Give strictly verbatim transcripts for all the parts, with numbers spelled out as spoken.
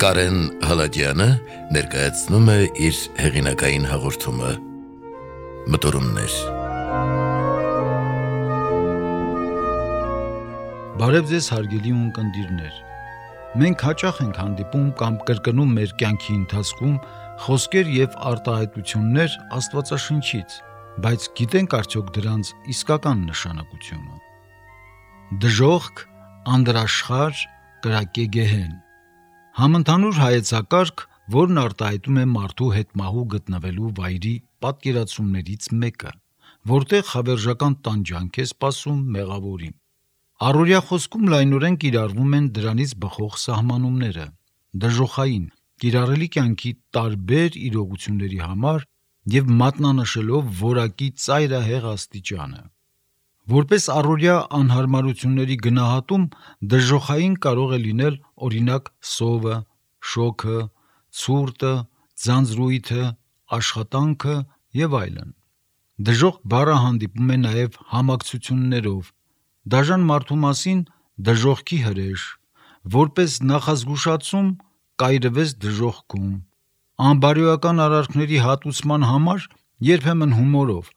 Կարեն Հալաջյանը ներկայացնում է իր հեղինակային հաղորդումը Մտորումներ։ Բարև ձեզ հարգելի ունկնդիրներ։ Մենք հաճախ ենք հանդիպում կամ կրկնում մեր կյանքի ընթացքում խոսքեր եւ արտահայտություններ Աստվածաշնչից, բայց գիտենք արդյոք դրանց իսկական նշանակությունը։ Դժոխք, անդրաշխար, կրակեգեհեն։ Համընդհանուր հայեցակարգ, որն արտահայտում է մարդու հետ մահու գտնվելու վայրի պատկերացումներից մեկը, որտեղ հավերժական տանջանք է սպասում մեղավորին։ Առօրյա խոսքում լայնորեն կիրառվում են դրանից բխող սահմանումները, դժոխային, կիրառելի կյանքի տարբեր իրողությունների համար եւ մատնանշելով որակի ծայրահեղ աստիճանը։ Որպես առօրյա անհարմարությունների գնահատում դժոխային կարող է լինել օրինակ սովը, շոքը, ցուրտը, ձանձրույթը, աշխատանքը եւ այլն։ Դժոխք բառը հանդիպում է նաեւ համակցություններով, դաժան մարդու մասին դժոխքի հրեշ, որպես նախազգուշացում կայրվես դժոխքում, անբարոյական արարքների հատուցման համար երբեմն հումորով,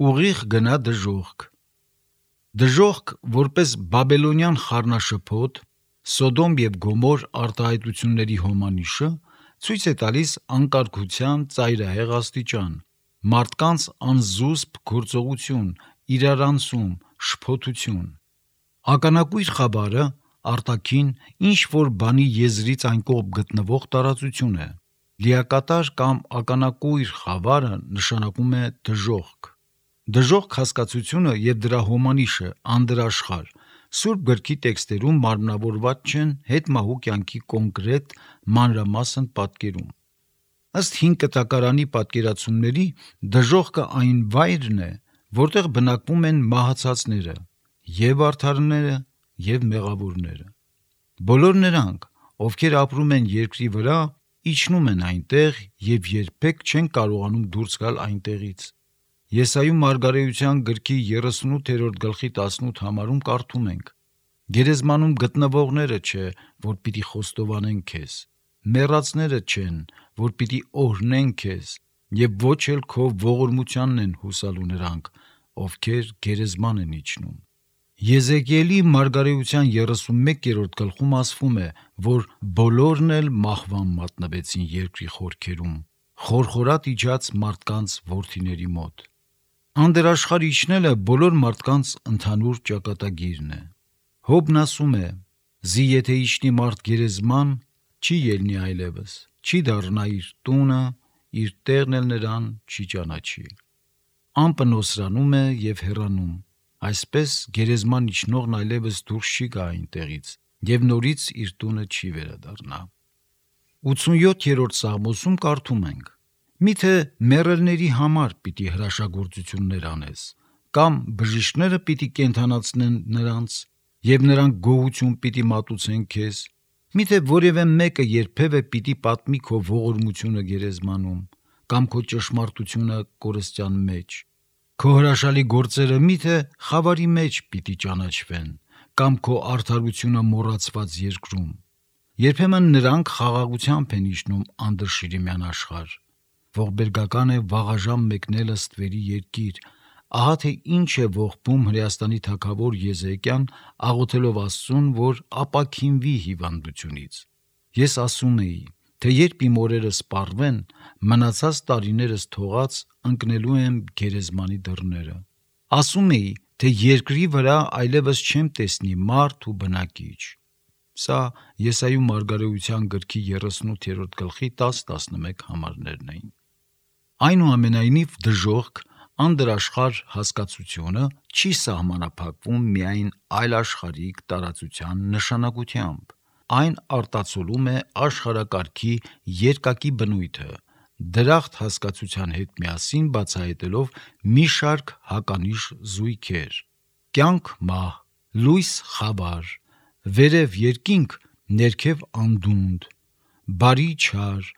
ուղիղ գնա դժոխք։ Դժոխք, որպես բաբելոնյան խառնաշփոթ, Սոդոմ եւ Գոմոր արտահայտությունների հոմանիշը, ցույց է տալիս անկարգության ծայրահեղ աստիճան, մարդկանց անզուսպ գործողություն, իրարանցում, շփոթություն։ Ականակույր խավարը արտաքին ինչ որ բանի եզրից այն կողմ գտնվող տարածություն է։ Լիակատար կամ ականակույր խավարը նշանակում է դժոխք։ Դժոխք հասկացությունը եւ դրա հոմանիշը անդրաշխար Սուրբ գրքի տեքստերում մարմնավորված չեն հետմահու կյանքի կոնկրետ մանրամասն պատկերում։ Ըստ հին կտակարանի պատկերացումների դժոխքը այն վայրն է, որտեղ բնակվում են մահացածները, եւ արդարները, եւ մեղավորները։ Բոլոր նրանք, ովքեր ապրում են երկրի վրա, իջնում են այնտեղ եւ երբեք չեն կարողանում դուրս գալ այնտեղից։ Եսայու մարգարեության գրքի երեսունութերորդ գլխի տասնութ համարում կարդում ենք. Գերեզմանում գտնվողները չէ, որ պիտի խոստովանեն քեզ, մեռածները չեն, որ պիտի օրհնեն քեզ, եւ ոչ էլ քո ողորմությանն են հուսալու նրանք, ովքեր գերեզման են իջնում։ Եզեկիելի մարգարեության երեսունմեկերորդ գլխում ասվում է, որ բոլորն էլ մահվան մատնվեցին երկրի խորքերում, խորխորատ իջած մարդկանց որդիների մոտ։ Անդրաշխար իջնելը բոլոր մարդկանց ընդհանուր ճակատագիրն է։ Հոբն ասում է. «Զի եթե իջնի մարդ գերեզման, չի ելնի այլևս, չի դառնա իր տունը, իր տեղն էլ նրան չի ճանաչի»։ Ամպը նոսրանում է եւ հեռանում, այսպես գերեզման իջնողն այլևս դուրս չի գա այնտեղից եւ նորից իր տունը չի վերադառնա։ ութսունյոթերորդ Սաղմոսում կարդում ենք. «Միթե մեռելների համար պիտի հրաշագործություններ անես, կամ բժիշկները պիտի կենդանացնեն նրանց, եւ նրանք գոհություն պիտի մատուցեն քեզ, միթե որևէ մեկը երբևէ պիտի պատմի քո ողորմությունը գերեզմանում, կամ քո ճշմարտությունը կորստյան մեջ, քո հրաշալի գործերը միթե խավարի մեջ պիտի ճանաչվեն, կամ քո արդարությունը մոռացված երկրում։ Երբեմն նրանք խաղաղությամբ են իջնում անդրշիրիմյան աշխարհ։ Ողբերգական է վաղաժամ մեկնել ըստվերի երկիր, ահա թե ինչ է ողբում Հրեաստանի թագավոր Եզեկիան, աղոթելով Աստծուն, որ ապաքինվի հիվանդությունից։ Ես ասում էի, թե երբ իմ օրերը սպառվեն, մնացած տարիներս թողած ընկնելու եմ գերեզմանի դռները։ Ասում էի, թե երկրի վրա այլևս չեմ տեսնի մարդ ու բնակիչ։ Սա Եսայու մարգարեության գրքի երեսունութերորդ գլխի տաս տասնմեկ համարներն էին։ Այնուամենայնիվ դժոխք, անդրաշխար հասկացությունը չի սահմանափակվում միայն այլաշխարհիկ տարածության նշանակությամբ։ Այն արտացոլում է աշխարհակարգի երկակի բնույթը, դրախտ հասկացության հետ միասին բացահայտելով մի շարք հականիշ զույգեր՝ կյանք մահ, լույս խավար, վերև երկինք, ներքև անդունդ, բարի չար,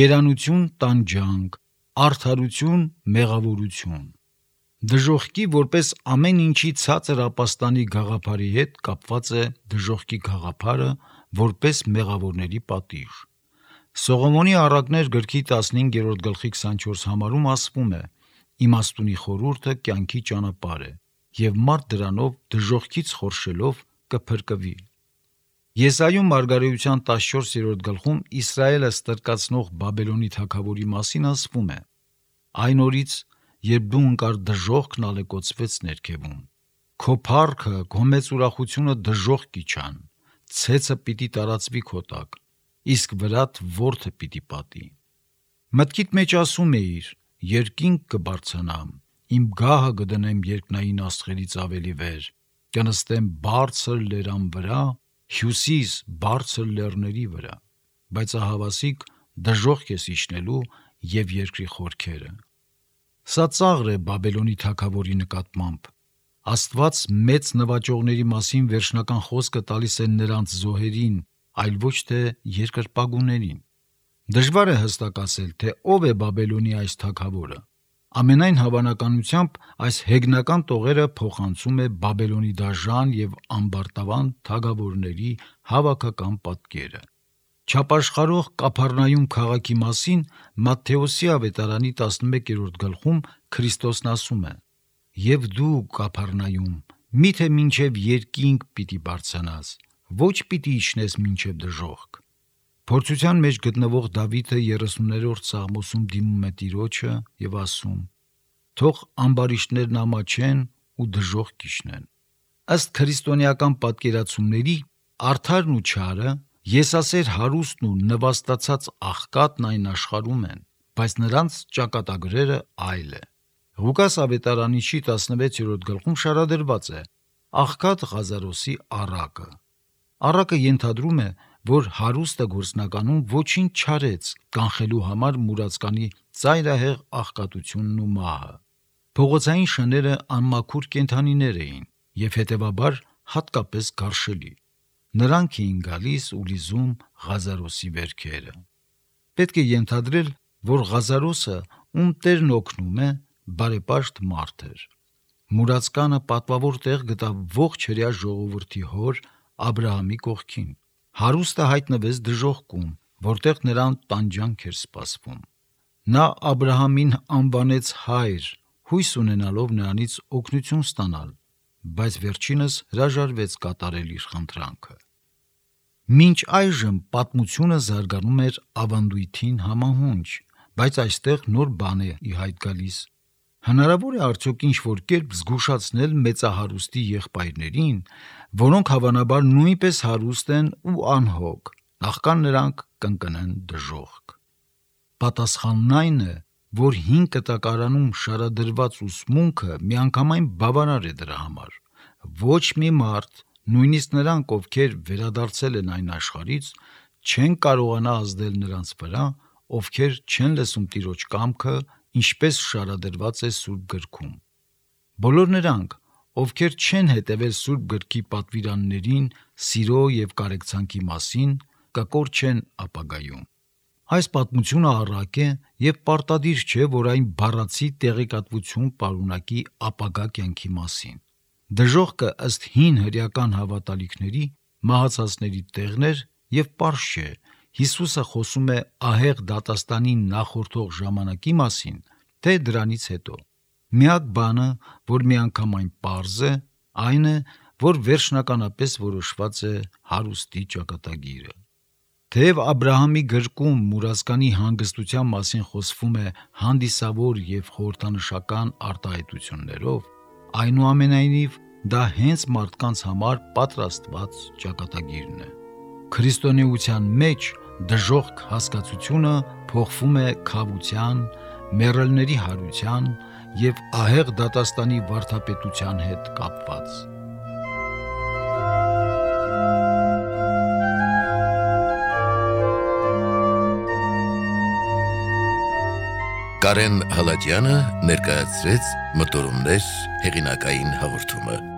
երանություն տանջանք, արդարություն մեղավորություն։ Դժոխքի որպես ամեն ինչի ցածր ապաստանի գաղափարի հետ կապված է դժոխքի գաղափարը որպես մեղավորների պատիժ։ Սողոմոնի առակներ գրքի տասնհինգերորդ գլխի քսանչորս համարում ասվում է. «Իմաստունի խորհուրդը կյանքի ճանապարհ է, եւ մարդ դրանով դժոխքից խորշելով կփրկվի»։ Եսայում մարգարեության տասնչորսերորդ գլխում Իսրայելը ստրկացնող Բաբելոնի թագավորի մասին ասվում է. «Այն օրից, երբ դու ընկար դժոխքն ալեկոծվեց ներքևում, քո փառքը, քո մեծ ուրախությունը դժոխք իջան, ցեցը պիտի տարածվի քո տակ, իսկ վրատ որդը պիտի պատի։ Մտքիդ մեջ ասում էիր. երկինք կբարձրանամ, իմ գահը կդնեմ երկնային աստղերից ավելի վեր, կնստեմ բարձր լերան վրա, հյուսիս բարձր լեռների վրա, բայց ահավասիկ դժոխք ես իջնելու եւ երկրի խորքերը»։ Սա ծաղր է Բաբելոնի թագավորի նկատմամբ։ Աստված մեծ նվաճողների մասին վերջնական խոսքը տալիս է նրանց զոհերին, այլ ոչ թե երկրպագուներին։ Դժվար է հստակ ասել, թե ով է Բաբելոնի այս թագավորը։ Ամենայն հավանականությամբ այս հեգնական տողերը փոխանցում է Բաբելոնի դաժան եւ ամբարտավան թագավորների հավաքական պատկերը։ Չապաշխարող Կափառնայում քաղաքի մասին Մատթեոսի ավետարանի տասնմեկերորդ գլխում Քրիստոսն ասում է. «Եվ դու, Կափառնայում, միթե մինչև երկինք պիտի բարձրանաս, ոչ պիտի իջնես մինչև դժոխք»։ Փորձության մեջ գտնվող Դավիթը երեսուններորդ Սաղմոսում դիմում է Տիրոջը եւ ասում. «Թող ամբարիշտներն ամաչեն ու դժոխք իջնեն»։ Ըստ քրիստոնեական պատկերացումների արդարն ու չարը, եսասեր հարուստն ու նվաստացած աղքատն այն աշխարհում են, բայց նրանց ճակատագրերը այլ է։ Ղուկաս ավետարանիչի տասնվեցերորդ գլխում շարադրված է աղքատ Ղազարոսի առակը։ Առակը ենթադրում է, որ հարուստը գործնականում ոչինչ չարեց կանխելու համար մուրացկանի ծայրահեղ աղքատությունն ու մահը։ Փողոցային շները անմաքուր կենդանիներ էին եւ հետեւաբար հատկապես գարշելի։ Նրանք էին գալիս ու լիզում Ղազարոսի վերքերը։ Պետք է ենթադրել, որ Ղազարոսը, ում Տերն օգնում է, բարեպաշտ մարդ էր։ Մուրացկանը պատվավոր տեղ գտավ ողջ հրեա ժողովրդի հոր Աբրահամի կողքին։ Հարուստը հայտնվեց դժոխքում, որտեղ նրան տանջանք էր սպասվում։ Նա Աբրահամին անվանեց հայր, հույս ունենալով նրանից օգնություն ստանալ, բայց վերջինս հրաժարվեց կատարել իր խնդրանքը։ Մինչ այժմ պատմությունը զարգանում էր ավանդույթին համահունչ, բայց այստեղ նոր բան է ի հայտ գալիս։ Հնարավոր է արդյոք ինչ-որ կերպ զգուշացնել մեծահարուստի եղբայրներին, որոնք հավանաբար նույնպես հարուստ են ու անհոգ, նախքան նրանք կընկնեն դժոխք։ Պատասխանն այն է, որ հին կտակարանում շարադրված ուսմունքը միանգամայն բավարար է դրա համար։ Ոչ մի մարդ, նույնիսկ նրանք, ովքեր վերադարձել են այն աշխարհից, չեն կարողանա ազդել նրանց վրա, ովքեր չեն լսում Տիրոջ կամքը, ինչպես շարադրված է Սուրբ գրքում։ Բոլոր նրանք, ովքեր չեն հետևել Սուրբ գրքի պատվիրաններին սիրո եւ կարեկցանքի մասին, կկորչեն ապագայում։ Այս պատմությունը առակ է եւ պարտադիր չէ, որ այն բառացի տեղեկատվություն պարունակի ապագա կյանքի մասին։ Դժոխքը ըստ հին հրեական հավատալիքների մահացածների տեղն էր եւ պարզ չէ, Հիսուսը խոսում է ահեղ դատաստանին նախորդող ժամանակի մասին, թե դրանից հետո։ Միակ բանը, որ միանգամայն պարզ է, այն է, որ վերջնականապես որոշված է հարուստի ճակատագիրը։ Թեև Աբրահամի գրքում մուրացկանի հանգստության մասին խոսվում է հանդիսավոր եւ խորհրդանշական արտահայտություններով, այնուամենայնիվ դա հենց մարդկանց համար պատրաստված ճակատագիրն է։ Քրիստոնեության մեջ դժոխք հասկացությունը փոխվում է քավության, մեռելների հարության եւ ահեղ դատաստանի վարդապետության հետ կապված։ Կարեն Հալաջյանը ներկայացրեց Մտորումներ հեղինակային հաղորդումը։